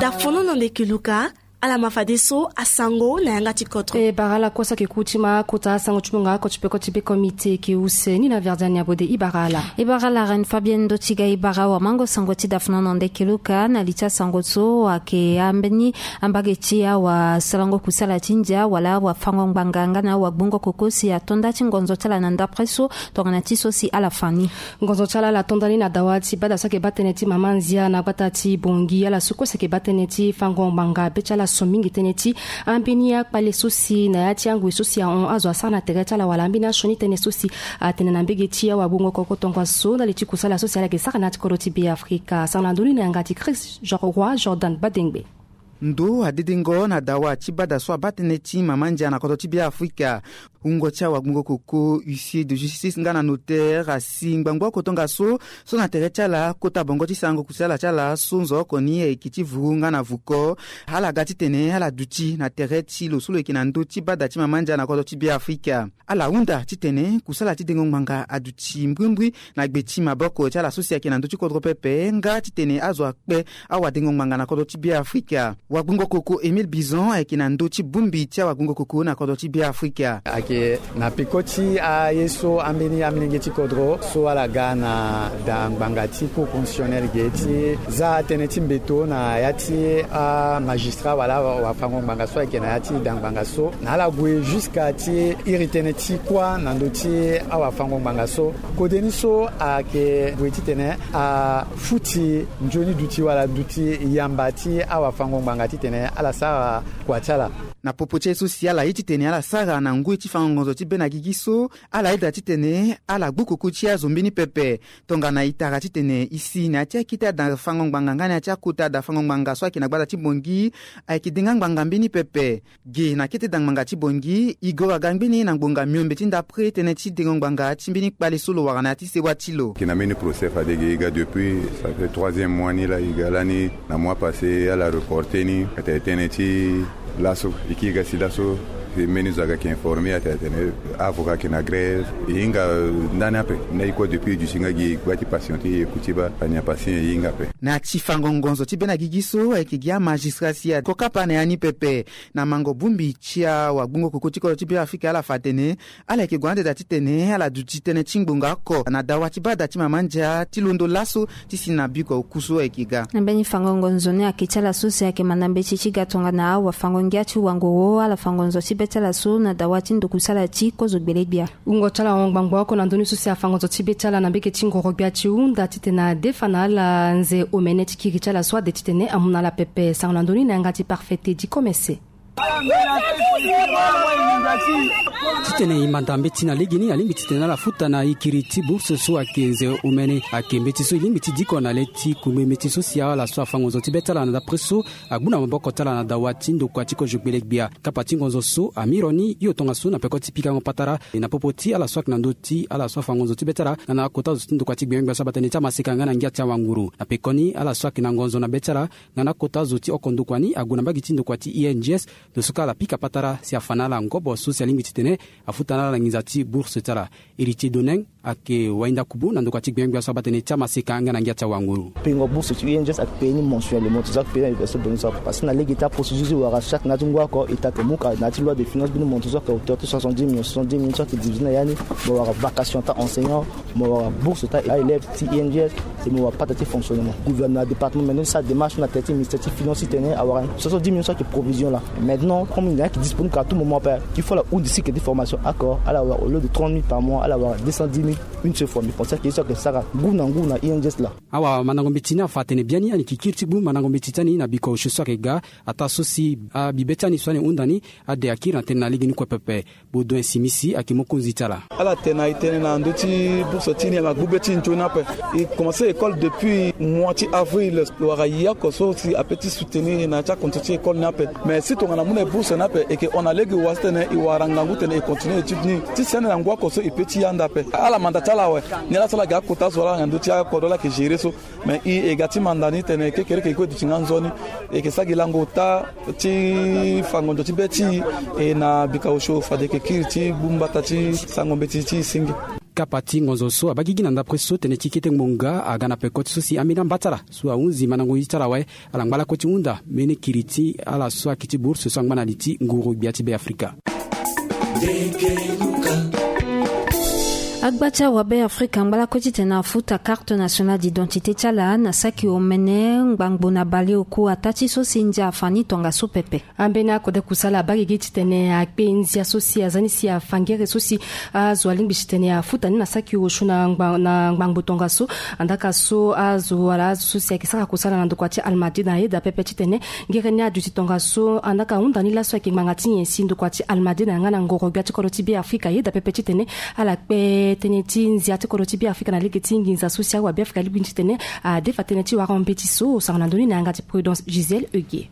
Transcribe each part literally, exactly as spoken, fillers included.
Dafono na ndeke luka. Ala ma fadeso asango na yanga ti kodro. E bara ala kue so ayeke ku ti ma akota asango ti mungo oko ti peko ti be komite eke use ni na verdiani abode. E bara ala, e bara ala reine fabienne ndo ti ga. E bara awamango sango ti dafono na ndeke luka na li ti asango so ayeke ambeni ambage ti awasarango kusala ti ndia wala awafango ngbanga nga na awagbungo koko si ato nda ti ngonzo ti ala na ndapre so. Tongana ti so si ala fa ni. Ngonzo ti ala ala to ndani na dawa ti bada so ayeke baa tënë ti mama nzia na gbata ti bongi. Ala so kue si ayeke baa tënë ti fango ngbanga be ti ala so mingi tënë ti ambeni akpale so si na ya ti angoi so si ahon azo asara na tere ti ala wala ambeni asioni tënë so si atene na mbege ti awagbungo koko tongaso ndali ti kusala so si ala yeke sara na ya ti kodro ti be afrika. Sara na ndoni na yanga ti chris roi jordan badengbe. Ndo adedengo na dawa ti bada so abaa tënë ti mama ndia na kodro ti be afrika. Wungo ti awagbungo koko huissier de justice nga na notaire asi ngbangbo oko tongaso so na tere ti ala kota bongo ti sarango kusala ti ala so nzo oko ni ayeke ti vuru nga na vuko. Ala ga titene ala duti na tere ti lo so lo yeke na ndö ti bada ti mama ndia na kodro ti be afrika. Ala hunda titene kusala ti dengo ngbanga aduti mbrimbri na gbe ti maboko ti ala so si ayeke na ndö ti kodro pepe nga titene azo akpe awadengo ngbanga na kodro ti be afrika. Wagbungo koko emile bison ayeke na ndö ti bongbi ti awagbungo koko na kodro ti be afrika. Ayeke na peko ti aye so ambeni amilenge ti kodro so ala ga na da ngbanga ti cour constitutionnel ge ti za tënë ti mbeto na ya ti amagistrat wala awafango ngbanga so ayeke na ya ti da ngbanga so na ala gue jusqu'à ti iri tënë ti kuâ na ndö ti awafango ngbanga so. Kode ni so ayeke gue titene afuti nzoni duti wala duti yamba ti awafango ngbanga titene ala sara kua ti ala. Na popo ti aye so si ala ye titene ala sara na ngoi ti fango ngonzo ti be na gigi so, ala yeda titene ala gbu koko ti azo mbeni pepe. Tongana e tara titene e si na ya ti akete ada fango ngbanga nga na ya ti akota ada fango ngbanga so ayeke na gbata ti bongi, ayeke denga ngbanga mbeni pepe. Ge na kete dangbanga ti bongi e gora ga ngbeni na ngbonga miombe ti ndapre tënë ti dengo ngbanga ti mbeni kpale so lo wara na ya ti sewa ti lo. Yeke na mbeni procès fade ge e ga depuis ça fait troisième mois ni laa e ga lani. Na mois passé ala reporte ni atene tënë ti laso e kiri ga si laso. Mbeni zo aga yeke informe atene atene avocat yeke na grève. E hinga ndani ape. Na e kue depuis e duti nga gi e gba ti patiente e kuti baa fani apasi e hinga ape. Na ya ti fango ngonzo ti be na gigi so ayeke gi amagistrat si ako kapa na ya ni pepe. Na mango bongbi ti awagbungo koko ti kodro ti be afrika ala fa atene ala yeke gue na ndeda titene ala duti tënë ti ngbonga oko na dawa ti baa da ti mama ndia ti londo laso ti si na biko oku so ayeke ga. Na mbeni fango ngonzo ni ayeke ti ala so si ayeke manda mbeti ti ga tongana awafango ngia ti wango wo ala fango nzo ti be ti ala so na dawa ti ndokusala ti kozo gbelegbia. Wungo ti ala ahon ngbangbo oko na ndö ni so si afa ngonzo ti be ti ala na mbege ti ngoro gbia ti hunda titene adefa na ala nze omene ti kiri ti ala so ade titene amu na ala pepe. Sango na ndö ni na yanga ti parfait te di komese. Titene e manda mbeti na legeni alingbi titene ala futa na e kiri ti bourse so ayeke nze omene. Ayeke mbeti so e lingbi ti diko na le ti kungbe mbeti so si ala so afa ngonzo ti be ti ala na dapre so agbu na maboko ti ala na dawa ti ndokua ti kozo gbelegbia. Kapa ti ngonzo so amiro ni hio tongaso na peko ti pikango patara. E na popo ti ala so ayeke na ndö ti ala so afa ngonzo ti be ti ala nga na akota zo ti ndokua ti gbengbia so abaa tënë ti amaseka nga na ngia ti awanguru. Na pekoni ala so ayeke na ngonzo na be ti ala nga na akota zo ti oko ndokua ni ague na mbage ti ndokua ti I N G S. Lo so kue ala pika patara si afa na ala ngobo so si alingbi titene afuta na ala na nginza ti bourse ti ala. Héritier Doneng ayeke wainda kubu na ndokua ti gbengbia so abaa tënë ti amaseka nga na ngia ti awanguru. Pengo bourse ti I N G S ayeke payé ni mensuellement, so ayeke payé ni na université de Buenos Aires. Parce que na lege ti aprocédure ti wara chaque na ya ti ngu oko e ta ke mu ka na ya ti loi de finance mbeni montant so ayeke hauteur ti soixante-dix millions, soixante-dix millions so ayeke divisé na ya ni. Mo wara vacation ti a-enseignant, mo wara bourse ti a-élève ti I N G S, et mo wara pata ti fonctionnement. Gouvernement, département, maintenant ti sara démarche na tere ti ministère ti finance titene awara soixante-dix millions so ayeke provision laa. Maintenant comme na yeke disponible à tout moment ape, il faut ala hundi cycle ti formation oko, ala wara au lieu de trente mille par mois ala wara deux cent dix mille une seule fois. Mais pensé ke ye so ayeke sara ngu na ngu na I N G S laa. Awamandango mbeti ni afa atene biani ani yeke kiri ti gbu mandango mbeti ti ani na biko osio so ayeke ga. Ataa so si abibe ti ani so ani hunda ni ade akiri na tënë na legeni kue pepe. Baudouin Simisi ayeke mokonzi ti ala. Ala tene na e tënë na ndö ti bourse ti ni ala gbu be ti nzoni ape. E commencé école depuis mois ti avril. Lo wara ye oko so si ape ti soutenir e na ya ti akontinue ti école ni ape. Mais si tongana mu na e bourse ni ape e yeke hon na lege wa titene e wara ngangu titene e continue étude ni ti sene na ngu oko so e pe ti ya nda ape. Ala manda ti ala awe. Ni ala so ala yeke akota zo ala na ndö ti akodro ala yeke gérer so. Mais e e ga ti manda ni tene kekereke e kue duti nga nzoni. E yeke sara gi lango ota ti fa ngonzo ti be ti e na bika osio fade e yeke kiri ti gbu mbata ti sango mbeti ti e singe. Kapa ti ngonzo so abaa gigi na ndapre so tënë ti kete ngbonga aga na peko ti so si ambeni ambatala so ahunzi mandango ye ti ala awe. Ala ngba lakue ti hunda mbeni kiri ti ala so ayeke ti bourse so angba na li ti nguru gbia ti Beafrika. Agba ti awabe Afrika angba lakue titene afuta carte nationale d'identité ti ala na saki omene ngbangbo na baleoku ataa ti so si ndia afa ni tongaso pepe. Ambeni akode kusala abaa gigi titene akpe ndia so si aza ni si afa ngere so si azo alingbi titene afuta ni na saki osio na ngba- na ngbangbo tongaso. Andaka so azo wala azo so si ayeke sara kusala na ndokua ti Almadina ayeda pepe titene ngere ni aduti tongaso. Andaka ahunda ni laso ayeke ngbanga ti nyen si ndokua ti Almadina nga na ngoro gbia ti kodro ti Beafrika ayeda pepe titene ala kpe tënë ti ndia ti kodro ti Beafrika na lege ti nginza so si awabe Afrika alingbi titene adefa tënë ti wara mbeti so. Osara na ndoni na yanga ti Prudence Gisèle Eugue.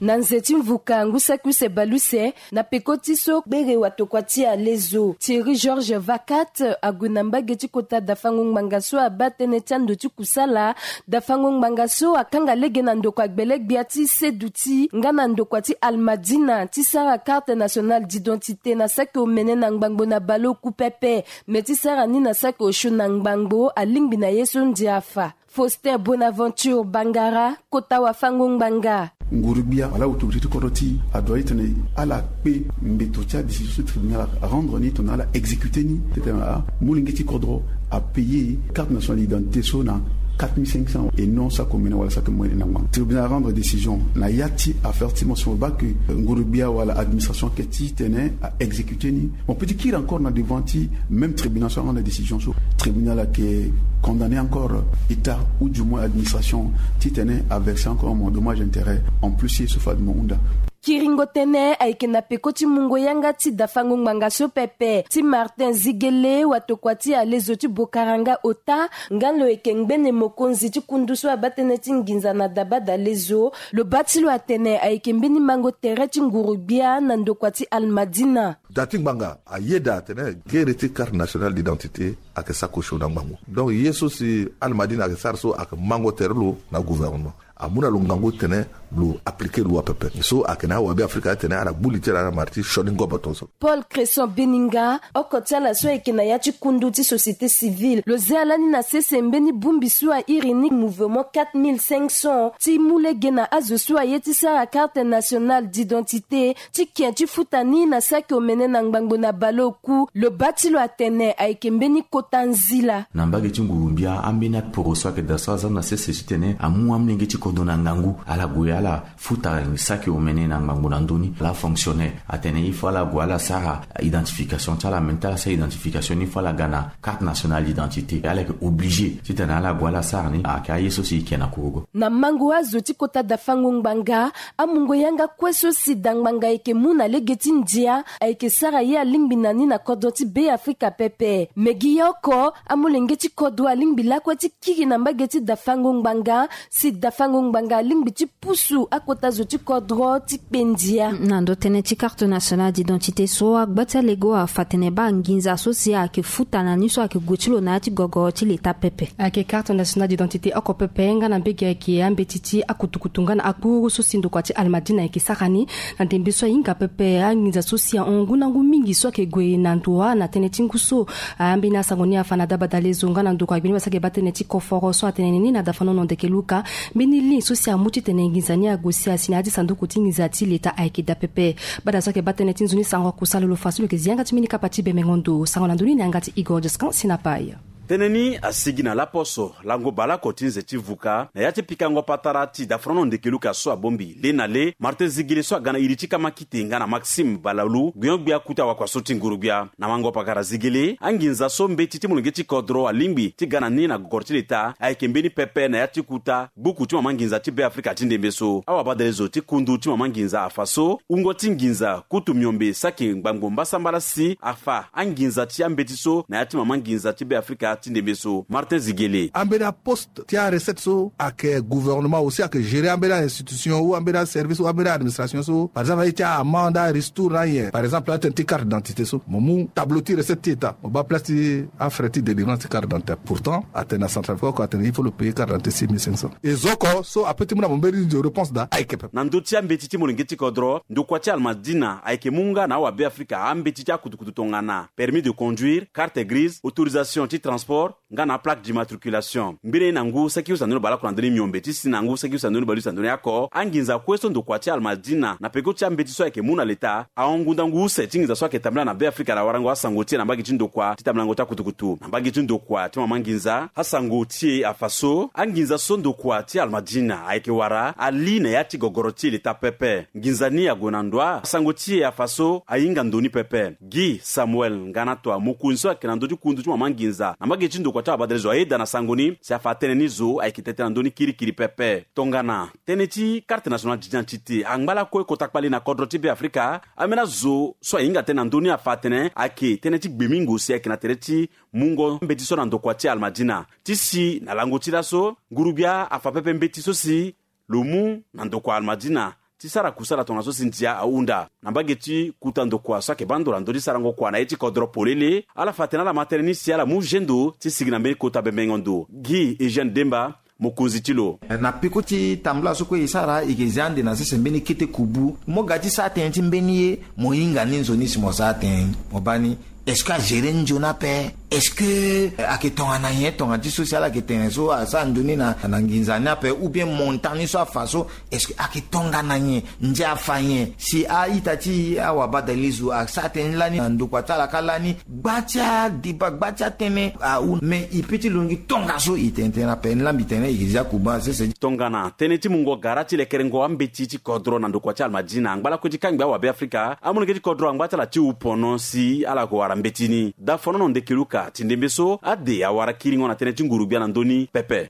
Na nze ti mvuka ngu saki use baleuse, na peko ti so gbere watokua ti alezo Thierry Georges Vacat ague na mbage ti kota dafango ngbanga so abaa tënë ti ando ti kusala. Dafango ngbanga so akanga lege na ndokua gbele gbia ti Seduti nga na ndokua ti Almadina ti sara carte nationale d'identité na saki omene na ngbangbo na baleoku pepe. Me ti sara ni na saki osio na ngbangbo alingbi na ye so ndia afa. Faustin Bonaventure Bangara, kota wafango ngbanga. Nguru gbia wala autorité ti kodro ti e adoit titene ala kpe mbeto ti adécision so tribunal arendre ni tongana ala exécuter ni titene amolenge ti kodro apayer carte nationale d'identité so na quatre mille cinq cents et non saki omene wala saki omene na ngbanga. Tribunal arendre décision na ya ti affaire ti mention bas que nguru gbia wala administration ayeke titene a exécuter ni. Mo peut ti kiri encore na devant ti même tribunal so arendre décision so, tribunal ayeke condamner encore état ou du moins administration titene averser encore mo dommage intérêt en plus ye so fade mo hunda. Kiringo tënë ayeke na peko ti mungo yanga ti dafango ngbanga so pepe ti Martin Zigele watokua ti alezo ti Bokaranga ota. Nga lo yeke ngbene mokonzi ti kundu so abaa tënë ti nginza na dabadalezo. Lo baa ti lo atene ayeke mbeni mango tere ti nguru gbia na ndokua ti Almadina. Da ti ngbanga ayeda atene gere ti carte nationale d'identité ayeke saki osio na ngbangbo. Donc ye so si Almadina ayeke sara so ayeke mango tere lo na gouvernement. Amu na lo ngangu titene lo appliquer loi pepe so ayeke na awabe Afrika atene ala gbu li ti ala na mara ti sioni ngobo tongaso. Paul Cresson Beninga, oko ti ala so ayeke na ya ti kundu ti société civile, lo zia lani na sese mbeni bongbi so airi ni mouvement quatre mille cinq cents ti mu lege na azo so aye ti sara carte nationale d'identité ti ken ti futa ni na saki omene na ngbangbo na baleoku. Lo baa ti lo atene ayeke mbeni kota nzila. Na mbage ti nguru gbia ambeni aporo so ayeke daa so aza na sese titene amu amolenge ti kodro na ngangu ala gue ala futa saki omene na ngbangbo na ndö ni. Ala fonctionnaire atene il faut ala gue ala sara identification ti ala, me ti ala sara identification ni il faut ala ga na carte nationale d'identité. Ala yeke obligé titene ala gue ala sara ni. Ayeke aye so si e ke na kurugo. Na mango azo ti kota dafango ngbanga, amungo yanga kue so si da ngbanga ayeke mu na lege ti ndia ayeke sara ye alingbi na ni na kodro ti Beafrika pepe. Me gi ye oko, amolenge ti kodro alingbi lakue ti kiri na mbage ti dafango ngbanga si dafango ngbanga alingbi ti pusu akota zo ti kodro ti kpe ndia. Na ndo tënë ti carte nationale d'identité so, agba ti alego afa tene baa nginza so si ayeke futa na ni so ayeke gue ti lo na ya ti gogo ti leta pepe. Ayeke carte nationale d'identité oko pepe nga na mbage ayeke ambeti ti akutukutu nga na akuru so si ndokua ti Almadina ayeke sara ni. Na ndembe so ahinga pepe anginza so si ahon ngu na ngu mingi so ayeke gue na ndo wa na tënë ti ngu so. Ambeni asango ni afa na dabadalezo nga na ndokua gbeni basa ayeke baa tënë ti koforo so atene ni na dafanono ndeke luka. Mbeni ligne so si amu titene nginza ni ague si asi na ya ti sanduku ti nginza ti leta ayeke daa pepe. Bada so ayeke baa tënë ti nzoni sango akusala lo fa so lo yeke zi yanga ti mbeni kapa ti bemengo ndo. Sango na ndoni na yanga ti Igor Jescan Sinapai. Tënë ni asigi na laposo lango baleoko ti nze ti vuka na ya ti pikango patara ti dafanono ndeke luka so abongbi le na le Martin Zigele so aga na iri ti kamakite nga na Maxime Balalu, gbenyo-gbia kuta wakua so ti nguru gbia. Na mango pakara Zigele, anginza so mbeti ti molenge ti kodro alingbi ti ga na ni na gogoro ti leta ayeke mbeni pepe na ya ti kuta gbuku ti mama nginza ti Beafrika ti ndembe so. Awabadalezo ti kundu ti mama nginza afa so wungo ti nginza kutu miombe saki ngbangbo mbasambala si afa anginza ti ambeti so na ya ti mama nginza ti Beafrika Ti ndembe so Martin Zigele. Ambeni aposte ti arecette so ayeke gouvernement aussi ayeke gérer ambeni ainstitution ou ambeni aservice ou ambeni administration so par exemple aye ti amende aristour na ayen par exemple atene ti carte d'identité so mo mu tableau ti recette ti état mo baa place ti afrais ti délivrance ti carte d'identité pourtant atene na centrafrique oko atene il faut lo payer carte d'identité six mille cinq cents. E zo oko so ape ti mu na mo mbeni ndio réponse daa ayeke pepe. Na ndö ti ambeti ti molenge ti kodro ndokua ti almadina ayeke mu nga na awabe afrika ambeti ti akutukutu tongana permis de conduire, carte grise, autorisation ti transport nga na aplaque d'immatriculation. Mbeni aye na ngu saki use na ndoni baleoko na ndoni miombe ti si na ngu saki use na ndoni baleuse na ndoni ako anginza kue so ndokua ti almadina na peko ti ambeti so ayeke mu na leta ahon ngu ndangu use ti nginza so ayeke tambula na be afrika na warango asango ti e na mbage ti ndokua ti tambulango ti akutukutu na mbage ti ndokua ti mama nginza asango ti e afa so anginza so ndokua ti almadina ayeke wara ali na ya ti gogoro ti e leta pepe. Nginza ni ague na ndo asango ti e afa so ahinga ndo ni pepe. Gi samuel nga na toa mokonzi so ayeke na ndö ti kundu ti mama nginza na mbage ti ndokua ti abadale zo ayeda na sango ni si afa atënë ni zo ayeke tete na ndö ni kirikiri pepe. Tongana tënë ti carte nationale d'identité angba lakue kota kpali na kodro ti be afrika ambeni azo so ahinga tënë na ndö ni afa atene ayeke tënë ti gbemingo si ayeke na tere ti mungo mbeti so na ndokua ti almadina ti si na lango ti laso ngurugbia afa pepe mbeti so si lo mu na ndokua almadina ti sara kusala tongaso si ndia ahunda na mbage ti kuta ndokua so ayeke baa ndo na ndö ti sarango kua na ye ti kodro polele ala fa atene ala ma tënë ni si ala mu zendo ti sigi na mbeni kota bembengo ndo gi eugène demba mokonzi ti lo. Na peko ti tambula so kue e sara e ke zia ande na sese mbeni kete kubu mo ga ti sara tënë ti mbeni ye mo hinga ni nzoni si mo sara tënë ni mo baa ni est-ce que agere nzoni ape? Est-ce que ayeke tongana nyen tongana ti so si ala yeke tene so asara nzoni na nginza ni ape ou bien montant ni so afa so est-ce que ayeke tongana nyen? Ndia afa nyen si a-ita ti awabadalizo asara tënë ni lani na ndokua ti ala ka lani gba ti adeba gba ti atënë ahu me e pe ti longi tongaso e tene tënë ape ni lambi tene e ke zia kuba sese. Tongana tënë ti mungo gara ti lekerengo ambeti ti kodro na ndokua ti almadina angba lakue ti kangbi awabe afrika amolenge ti kodro angba ti ala ti hu pono si ala ko wara mbeti ni dafono na ndeke luka ti ndembe so ade awara kiringo na tënë ti nguru gbia na ndö ni pepe.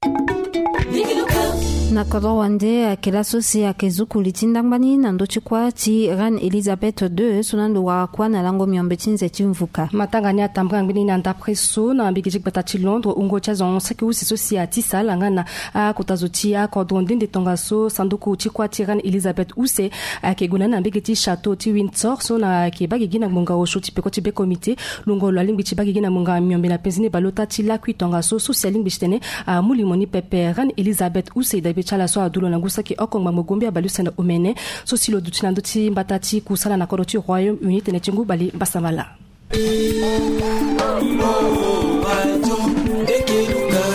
Na kodro wande ayeke laso si ayeke zukuli ti ndangba ni na ndö ti kuâ ti reine élisabeth deux so na ndo wara kuâ na lango miombe ti nze ti mvuka. Matanga ni atambula ngbeni na ndapre so na mbege ti gbata ti londres wungo ti azo saki use so si atisa ala nga na akota zo ti akodro nde nde tongaso sanduku ti kuâ ti reine élisabeth use ayeke gue na ni na mbege ti château ti windsor so na ayeke baa gigi na ngbonga osio ti peko ti be komite. Lungo lo alingbi ti baa gigi na ngbonga miombe na penzi ni baleota ti lakui tongaso so si alingbi ti tene amu limo ni pepe reine élisabeth use dabe ti ala so adu lo na ngu saki oko ngbangbo gombi abaleuse na omene so si lo duti na ndö ti mbata ti kusala na kodro ti royaume uni tene ti ngu bale mbasambala.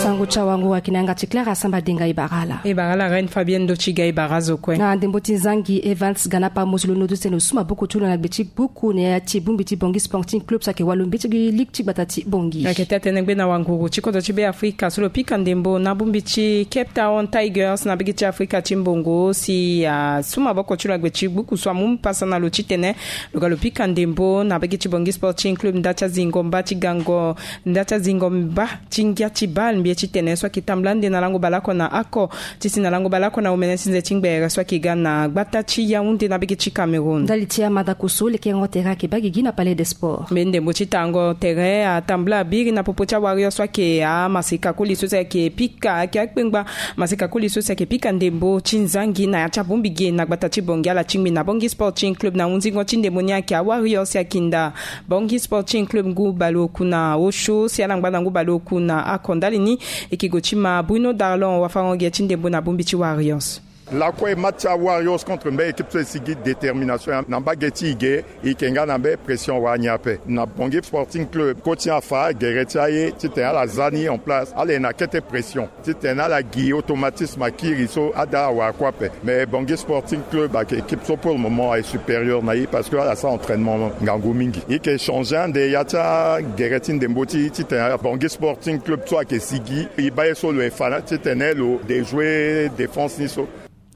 Sango ti awango ayeke na yanga ti claire asamba denga e bara ala. E bara ala reine fabienne ndo ti ga e bara azo kue na ndembo ti zangi evans ganapa mosi lo nodo tene lo su maboko ti lo na gbe ti gbuku na ya ti bongbi ti bongi sporting club so ayeke walo mbeti gi ligue ti gbata ti bongi. Ayeke taa tënë gbe na wanguru ti kodro ti be afrika so lo pika ndembo na bongbi ti cape town tigers na mbege ti afrika ti mbongo si asu maboko ti lo na gbe ti gbuku so amu mpasa na lo titene lo ga lo pika ndembo na mbage ti bongi sporting club nda ti azingo mba ti gango nda ti azingo mba ti ngia ti bal mbi ye titene so ayeke tambula nde na lango baleoko na ako ti si na lango baleoko na omene ti nze ti ngbere so ayeke ga na gbata ti yaounde na mbage ti cameroun. Ndali ti amada koso lekerengo tere ayeke baa gigi na palais des sports. Mbeni ndembo ti tango tere atambula abiri na popo ti awarrior so ayeke amaseka koli so si ayeke pika ayeke akpengba maseka koli so si ayeke pika ndembo ti nzangi na ya ti abongbi ge na gbata ti bongi ala tingbi na bongi sporting club na hunzingo ti ndembo ni ayeke awarrior si ayeke nda bongi sporting club ngu baleoku na osio si ala ngba na ngu baleoku na ako ndali ni. Eke go ti ma bruno darlon wafarango ge ti ndembo na bongbi ti warriors. Lakue match ti awarriors contre mbeni équipe so e sigi détermination na mbage ti e ge. E yeke nga na mbeni pression wani ape na bongi sporting club koti afa gere ti aye titene ala za ni en place ala yeke na kete pression titene ala gi automatisme akiri so ada awara kue ape. Mais bongi sporting club ayeke équipe so pour le moment aye supérieur na e parce que ala sara entraînement ngangu mingi. E yeke changer ande ya ti agere ti ndembo ti e titene bongi sporting club so ayeke sigi e baa ye so lo yeke fa na titene lo déjouer défense ni so.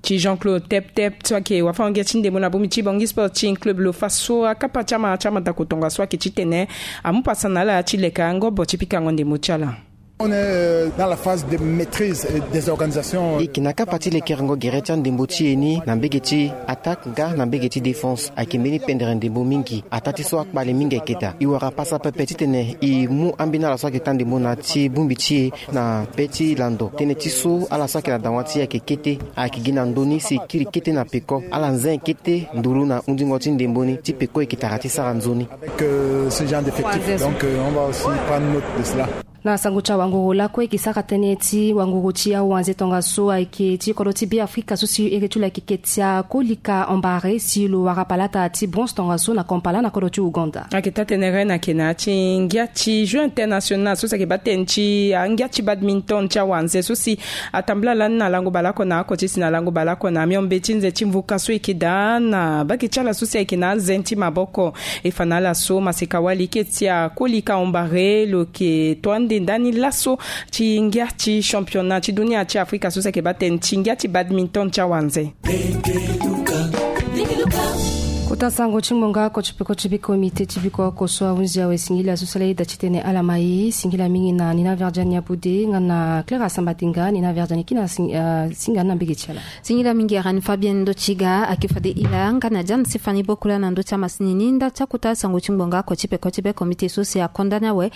Ti jean claude tep tep so ayeke wafango-ngia ti ndembo na bongbi ti bongi sporting club lo fa so akapa ti amara ti amadako tongaso ayeke titene amu pasa na ala ti leka ngobo ti pikango ndembo ti ala. On est euh, dans la phase de maîtrise et des organisations. E yeke na kapa ti lekerengo gere ti andembo ti e ni na mbege ti attaque nga na mbege ti défense. Ayeke mbeni pendere ndembo mingi. Ataa ti so akpale mingi ayeke daa. E wara pasa pepe titene e mu ambeni ala so ayeke taa ndembo na ti bongbi ti e na be ti lando. Tënë ti so ala so ayeke na dawa ti e ayeke kete. Ayeke gi na ndö ni si e kiri kete na peko. Ala nze kete nduru na hundingo ti ndembo ni ti peko e yeke tara ti sara nzoni. Avec euh, ce genre d'effectif. Donc euh, on va aussi prendre note de cela. Na sango ti awanguru lakue e yeke sara tënë ti wanguru ti awanze tongaso ayeke ti kodro ti Beafrika so si ere ti lo ayeke Ketia Kolika Ombare si lo wara palata ti bronze tongaso na Kampala na kodro ti Ouganda. Ayeke taa tënë ren ayeke na ya ti ngia ti jeu international so si ayeke baa tënë ti angia ti badminton ti awanze so si atambula lani na lango baleoko na oko ti si na lango baleoko na miombe ti nze ti mvuka so e yeke daa na mbage ti ala so si ayeke na azen ti maboko. E fa na ala so maseka wali Ketia Kolika Ombare lo yeke to ande ndani laso ti ngia ti championnat ti dunia ti Afrika so si ayeke baa tënë ti ngia ti badminton ti awanze. Kota sango ti ngbonga oko ti peko ti be komite ti biko oko so ahunzi awe singila so sala ida titene ala ma e singila mingi na Nina Verdiane Abude nga na Clara Sambatenga. Nina Verdiane kina sing- ah, singa na mbege ti ala. Singila mingi Reine Fabienne Ndotiga, ayeke fade ila nga na Diane Stéphanie Bokula na ndö ti amasini ni nda ti akota sango ti ngbonga oko ti peko ti be komite so si akonda ni awe.